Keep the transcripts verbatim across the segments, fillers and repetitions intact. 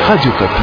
Radio Okapi.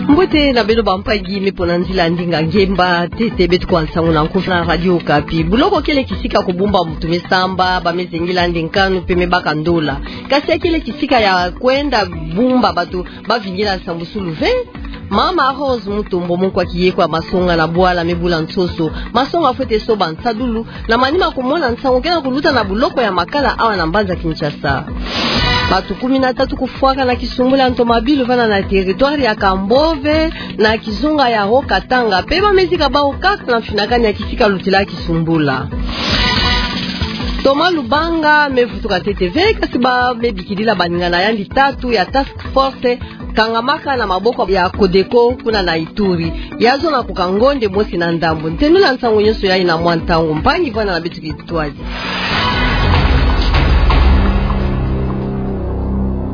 Mbote na beno bampagi me mpo na nzila ndinga ngemba, ntete beto kwa nsangu na nkufi na Radio Okapi. Buloko kele kisika kubumba mutu me samba, ba me zengila nde nkanu mpe me baka ndola. Kasi ya kele kisika ya kwenda bumba bato ba vingila nsambusulu ve. Mama Rose Mutombo, mukwa kiye kwa masonga na bwala me bula nsoso. Masonga fwete soba nsadulu, na manima kumona nsangu ke na kuluta na buloko ya Makala awa na mbanza Kinshasa. Bato kumi na tatu kufwaka na kisumbula ntomabilu vana na territoire ya Kambove, na kizunga ya Haut-Katanga. Mpe ba me zika bawu kaka na mfinakani ya kisika lutila kisumbula. Thomas Lubanga me vutuka ntete ve, kasi ba me bikidila baninga na yandi tatu ya task force kangamaka na maboko ya Codeco kuna na Ituri. Ya zona ku Kangonde mosi na ndambu. Ntendula nsangu nyonso yayi na mwa ntangu. Mpangi, vwanda na beto kintwadi.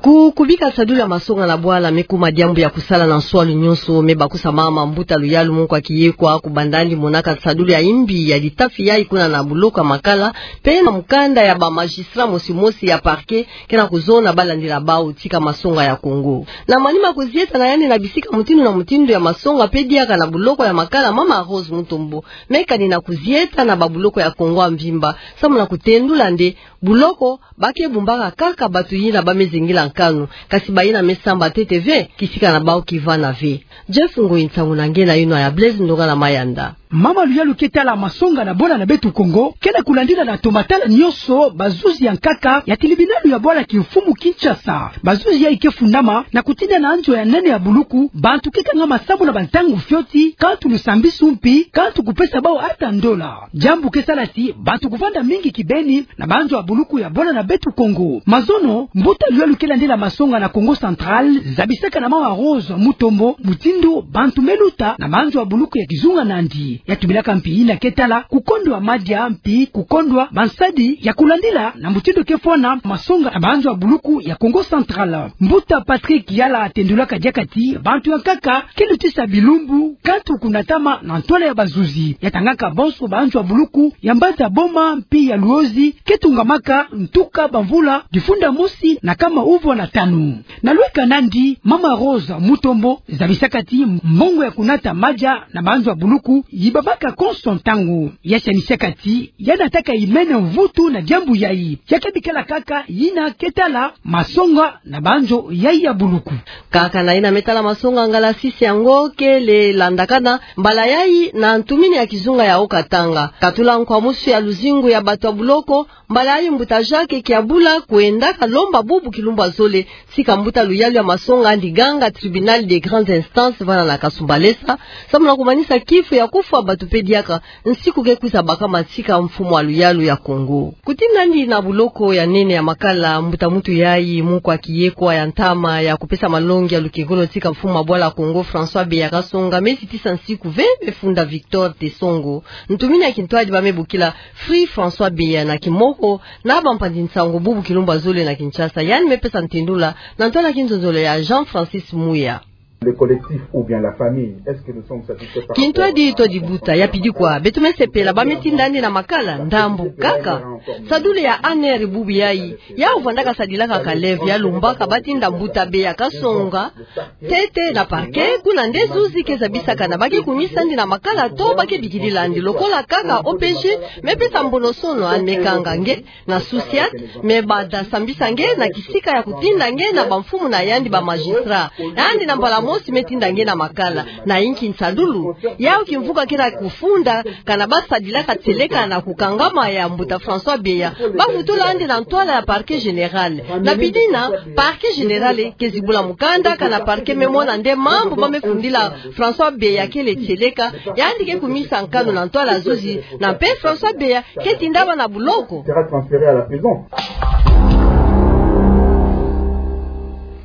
Ku, kubika nsadulu ya masonga na bwala me kuma diambu ya kusala na nswalu nyonso. Me bakusa mama Mbuta Luyalu, mukwa kiye kwa kubanda yandi monaka nsadulu ya imbi ya litafi yayi kuna na buloko ya Makala, mpe na mukanda ya ba magistrat mosi mosi ya parquet ke na kuzona ba landila bawu tika masonga ya Congo. Na manima kuzieta na yandi na bisika mutindu na mutindu ya masonga mpe diaka na buloko ya Makala, mama Rose Mutombo me kani na kuzieta na babuloko ya Congo ya mvimba, samu na kutendula nde buloko ba ke bumbaka kaka bato yina ba me zengila nkanu, kasi bayina me samba ntete ve, kisika na bawu kivana ve. Jeff Ngoi, nsangu na nge na yinwa ya Blaise Ndonga na Mayanda. Mama Luyalu, ke tala masonga na bwala na beto Congo ke na kulandila na tomatala nyonso bazuzi ya nkaka ya tribunal ya bwala kimfumu Kinshasa. Bazuzi yayi ke fundama na kutinda na nzo ya nene ya buluku bantu ke kangama samu na bantangu fioti, kantu lusambisu mpi kantu kupesa bawu ata ndola. Diambu ke sala ti bantu kuvanda mingi kibeni na banzo ya buluku ya bwala na beto Congo. Mazono, Mbuta Luyalu ke landila masonga na Kongo Central zabisaka na mama Rose Mutombo mutindu bantu me luta na banzo ya buluku ya kizunga na yandi. Ya tubilaka mpi yina ke tala kukondwa madia mpi kukondwa bansadi ya kulandila na mutindu ke fwana masonga na banzo ya buluku ya Kongo Central. Mbuta Patrick Yala atendulaka diaka ti bantu ya nkaka ke lutisa bilumbu, kantu kunatama na ntwala ya bazuzi. Ya tangaka bonso banzo ya buluku ya Mbanza Boma mpi ya Luozi ke tungamaka ntuka bamvula difunda mosi na kama uvwa na tanu. Na lweka na yandi, mama Rose Mutombo zabisaka ti mbongo ya kunata madia na banzo ya buluku yibamaka konso ntangu. Ya sanisaka ti ya nataka yimene mvutu na diambu yayi. Ya ke bikala kaka yina ke tala masonga na banzo yayi ya buluku. Kaka na yina me tala masonga, ngala sisi yango kele landakana mbala yayi na ntumini ya kizunga ya Haut-Katanga. Katula nkwamusu ya luzingu ya bato ya buloko, mbala yayi mbuta Jacques Kiabula kwendaka lomba bubu kilumbu ya zole tika Mbuta Luyalu ya masonga yandi ganga Tribunal de Grandes Instances vana na Kasumbalesa, samu na kumanisa kifu ya kufwa bato mpe diaka nsiku ke kwiza bakama tika mfumu ya luyalu ya Congo. Kutinda yandi na buloko ya nene ya Makala, mbuta muntu yayi, mukwa kiye kwa ya ntama ya kupesa malongi ya lukengolo tika mfumu ya bwala Congo, François Beya Kasonga, me zitisa nsiku ve me funda Victor Tesongo, ntumini ya kintwadi ba me bokila Free François Beya na kimoko, na bampanzi nsangu bubu kilumbu ya zole na Kinshasa. Yandi me pesa ntendula na ntwala kinzonzolo ya Jean-Francis Muya. Le collectif ou bien la famille, est-ce que nous sommes satisfaits par rapport à... Kintwadi to dibuta, ya pidi kwa, beto me sepela ba me tinda yandi na Makala? Ndambu kaka. Nsadulu ya A N R bubu yayi, yawu vandaka sadilaka kalevi, ya lombaka ba tinda mbuta Beya Kasonga ntete na parquet, kuna nde zuzi ke zabisaka na ba ke kumisa yandi na Makala to ba ke bikidila yandi. Lokola kaka O P G me pesa mbonosono, yandi me kanga nge na Souciate, me banda sambisa nge na kisika ya kutinda nge na bamfumu na yandi ba magistrat. Yandi na mbala mosi me tinda nge na Makala. Na inki nsadulu? Yawu kimvuka ke na kufunda, kana ba sadilaka tieleka na kukangama ya mbuta François Beya, ba vutula yandi na ntwala ya parquet général. Na pidi yina, parquet général ke zibula mukanda, kana parquet me mona nde mambu ba me fundila François Beya kele tieleka, yandi ke kumisa nkanu na ntwala zuzi, na mpe François Beya ke tindama na buloko. Sera transféré à la prison.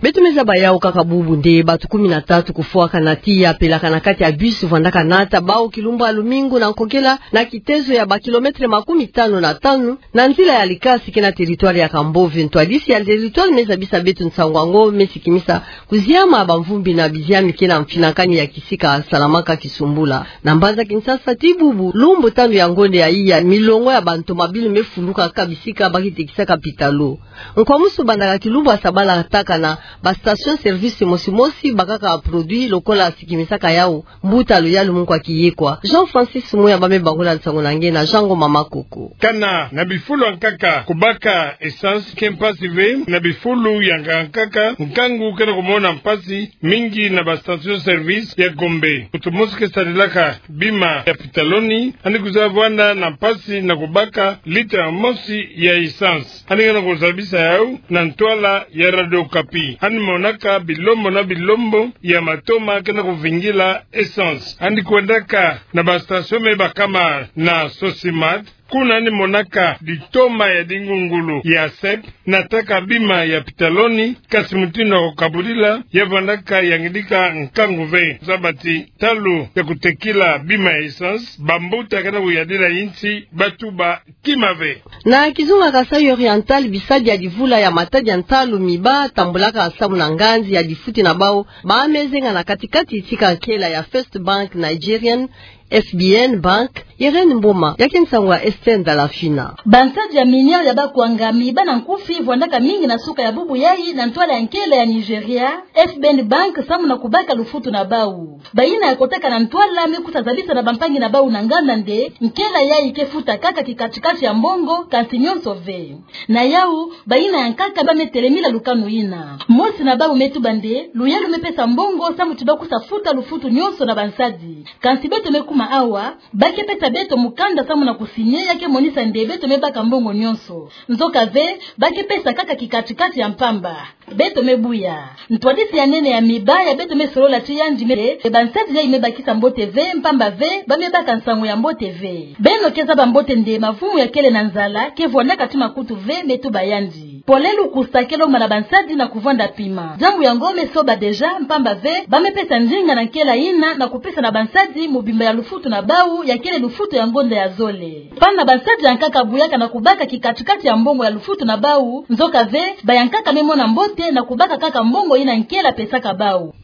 Beto me zaba yawu kaka bubu nde, bato kumi na tatu kufwakana tiya pelaka na kati ya bus vwandaka nata bawu kilumbu ya lumingu na nkokela na kitezo ya ba kilomètre makumi tanu na tanu na nzila ya likasi ke na territoire ya Kambove. Ntwadisi ya territoire me zabisa beto nsangu yango me sikimisa kuziama ya bamvumbi na biziami ke na mfinakani ya kisika Salamaka Kisumbula. Na mbanza Kinshasa, tii bubu lumbu tanu ya ngonde ya iya, milongo ya bantomabili me fuluka kaka bisika ba ke tekisaka pitalo. Nkwamusu bandaka kilumbu ya sabala tâka na ba station service mosi mosi bakaka produit lokola sikimisaka yawu mbuta Luyalu Mungu Akiyekwa. Jean Francis Muya ba me bangula nsangu na nge na Jean Ngoma Makoko. Kana na bifulu ya nkaka kubaka essence ke mpasi ve, na bifulu ya nkaka nkangu ke na kumona mpasi mingi na ba station service ya Gombe. Moto mosi ke sadilaka bima ya pitaloni, yandi kwiza vwanda na mpasi na kubaka litre mosi ya essence. Yandi ke na kuzabisa yawu na ntwala ya Radio Okapi. Yandi monaka bilombo na bilombo ya matoma ke na kuvingila essence. Yandi kwendaka na ba station me bakama na Socemat. Kuna yandi monaka litoma ya dingungulu ya sep, nataka bima ya pitaloni, kasi mutindu ya kukabulila ya vwandaka yangidika nkangu ve. Zaba ti ntalu ya kutekila bima ya essence, bambuta ke na kuyadila yinsi ba tuba kima ve. Na kizunga Kasaï Oriental, bisadi ya divula ya matadi ya ntalu mi ba tambulaka samu na nganzi ya difuti na bawu, ba me zenga na kati-kati tika nkela ya First Bank Nigerian, F B N Bank. Irène Mboma, ya ke nsangu ya Esther Ndalafina. Bansadi ya minière ya Bakwanga mi ba na nkufi vwandaka mingi na suka ya bubu yayi na ntwala ya nkela ya Nigeria, F B N Bank, samu na kubaka lufutu na bawu. Bayina ya kotaka na ntwala me kwiza zabisa na bampangi na bawu na nganda nde, nkela yayi ke futa kaka kikati-kati ya mbongo, kansi nyonso ve. Na yawu, bayina ya nkaka ba me telemila lukanu yina. Mosi na bawu me tuba nde, Luyalu me pesa mbongo samu ti ba kwiza futa lufutu nyonso na bansadi. Kansi beto me kuma awa, ba ke pesa beto mukanda samu na kusigner ya ke monisa nde beto me baka mbongo nyonso. Nzoka ve, ba ke pesa kaka kikati-kati ya mpamba. Beto me buya. Ntwadisi ya nene ya mi ba ya beto me solola ti yandi me, e bansadi yayi me bakisa mbote ve, mpamba ve, ba me baka nsangu ya mbote ve. Beno ke zaba mbote nde mavumu ya kele na nzala ke vwandaka ti makutu ve, me tuba yandi. Pole lukusa ke lomba na bansadi na kuvwanda pima. Diambu yango me soba déjà, mpamba ve, ba me pesa ndinga na nkela yina na kupesa na bansadi mobimba ya lufutu na bawu, ya kele lufutu ya ngonda ya zole. Pana bansadi ya nkaka buyaka na kubaka kikati-kati ya mbongo ya lufutu na bawu, nzoka ve, ba ya nkaka me mona mbote na kubaka kaka mbongo yina nkela pesaka bawu.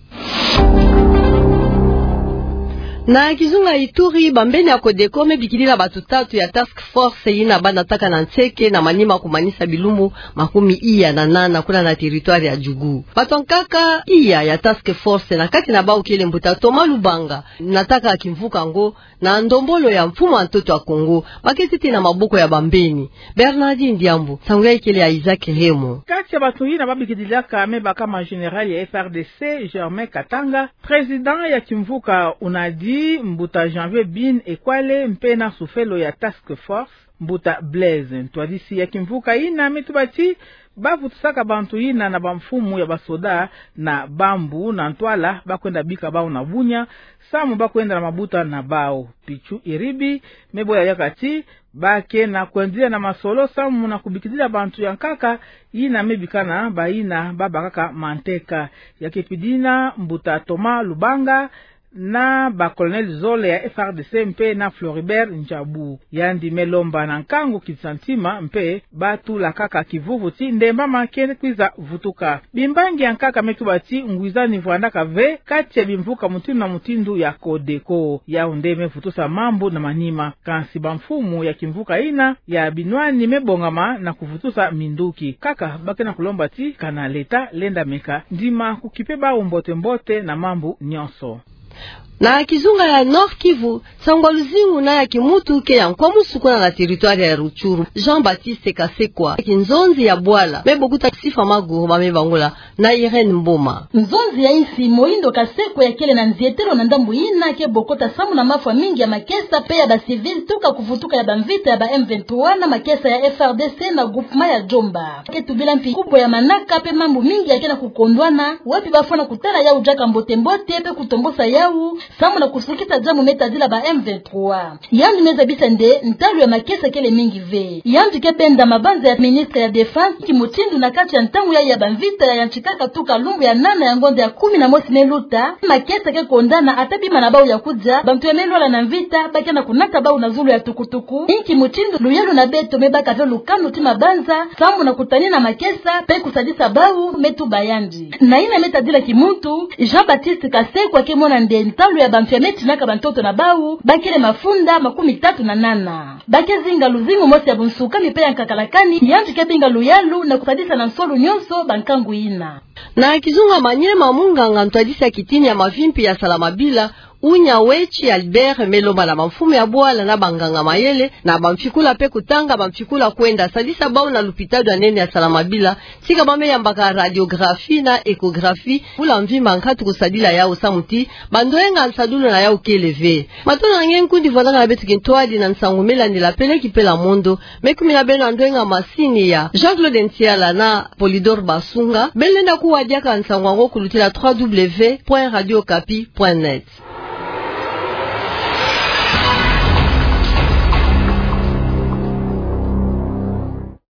Na kizunga Ituri, bambeni ya Codeco me bikilila bato tatu ya task force yina ba nataka na nseke na manima kumanisa bilumbu makumi iya na nana kuna na territoire ya Djugu. Bato ya nkaka iya ya task force, na kati na bawu kele mbuta Thomas Lubanga, nataka kimvuka yango na ndombolo ya mfumu ya ntoto ya Kongo, ba ke tete na maboko ya bambeni. Bernardine Diambu, nsangu yayi kele ya Isaac Remo. Kati ya bato yina ba bikidilaka me bakama général ya F R D C, Germain Katanga, président ya kimvuka UNADI, mbuta Janvier Bin Ekwale, mpe na sufelo ya task force, mbuta Blaise. Ntwadisi ya kimvuka yina me tuba ti ba vutusaka bantu yina na bamfumu ya basoda na bambu na ntwala ba kwenda bika bawu na Bunia, samu ba kwenda na mabuta na bawu. Pichu Iribi me boya diaka ti ba ke na kwendila na masolo samu na kubikidila bantu ya nkaka yina me bikana bayina ba bakaka manteka. Ya ke pidina mbuta Thomas Lubanga na ba colonel zole ya F R D C mpe na Floribert Ndjabu. Yandi me lomba na nkangu kisa ntima mpe ba tula kaka kivuvu ti ndembama ke kwiza vutuka. Bimbangi ya nkaka me tuba ti ngwizani vwandaka ve kati ya bimvuka mutindu na mutindu ya Codeco. Yawu nde me vutusa mambu na manima. Kansi bamfumu ya kimvuka yina ya binwani me bongama na kuvutusa minduki. Kaka ba ke na kulomba ti kana l'État lenda meka ndima kukipe bawu mbote-mbote na mambu nyonso. Na kizunga ya Nord-Kivu, nsangu ya luzingu na ya kimutu ke ya nkwamusu kuna na territoire ya Rutshuru. Jean-Baptiste Kasekwa, kinzonzi ya bwala, me bokuta Sifa Maguru ba me bangula na Irène Mboma. Nzonzi ya insi Mohindo Kasekwa ya kele na nzietelo na ndambu yina ke bokota samu na mafwa mingi ya makesa mpe ya ba civils tuka kuvutuka ya bamvita ya ba M vingt-trois na makesa ya F R D C na groupement ya Djomba. Ke tubila mpi kubwa ya manaka mpe mambu mingi ya ke na kukondwana, wapi ba fwana kutala yawu diaka mbote-mbote mpe kutombosa yawu, Samu na kusukisa diambu me tadila ba M vingt-trois. Yandi me zabisa nde ntalu ya makesa kele mingi ve. Yandi ke benda mabanza ya ministre ya Défense, inki mutindu na kati ya ntangu yayi ya bamvita ya yantikaka tuka lumbu ya nana ya ngonda ya kumi na mosi me luta, makesa ke kondana ata bima na bawu ya kudia, bantu ya me lwala na mvita ba ke na kunata bawu na zulu ya tukutuku, inki mutindu luyalu na beto me baka ve lukanu ti mabanza, samu na kutanina makesa, pe kusadisa bawu me tuba yandi. Na yina me tadila kimuntu, Jean-Baptiste Kasekwa ke mona nde ntalu ya bantu ya me tinaka bantoto na bawu, ba kele mafunda makumi tatu na nana. Ba ke zinga luzingu mosi ya bunsuka mi pe ya nkakalakani, yandi ke binga luyalu na kusadisa na nsolu nyonso bankangu yina. Na kizunga Maniema, munganga ntwadisi ya kitini ya mavimpi ya Salamabila, Unya Wetshi Albert, me lomba na bamfumu ya bwala na banganga mayele, na bamfikula pe kutanga bamfikula kwenda sadisa bawu na lupitalu ya nene ya Salamabila, tika ba me yambaka radiographie na échographie, bula mvimba nkatu kusadila yawu samu ti bandoyenga nsadulu na yawu kele ve. Matondo na nge nkundi vwandaka na beto kintwadi na nsangu me landila pele ki pela mondo, me kumina beno na ndoyenga masini ya Jean-Claude Ntiala na Polydor Basunga, beno lenda kuwa diaka nsangu yango kulutila trois W point radio okapi point net.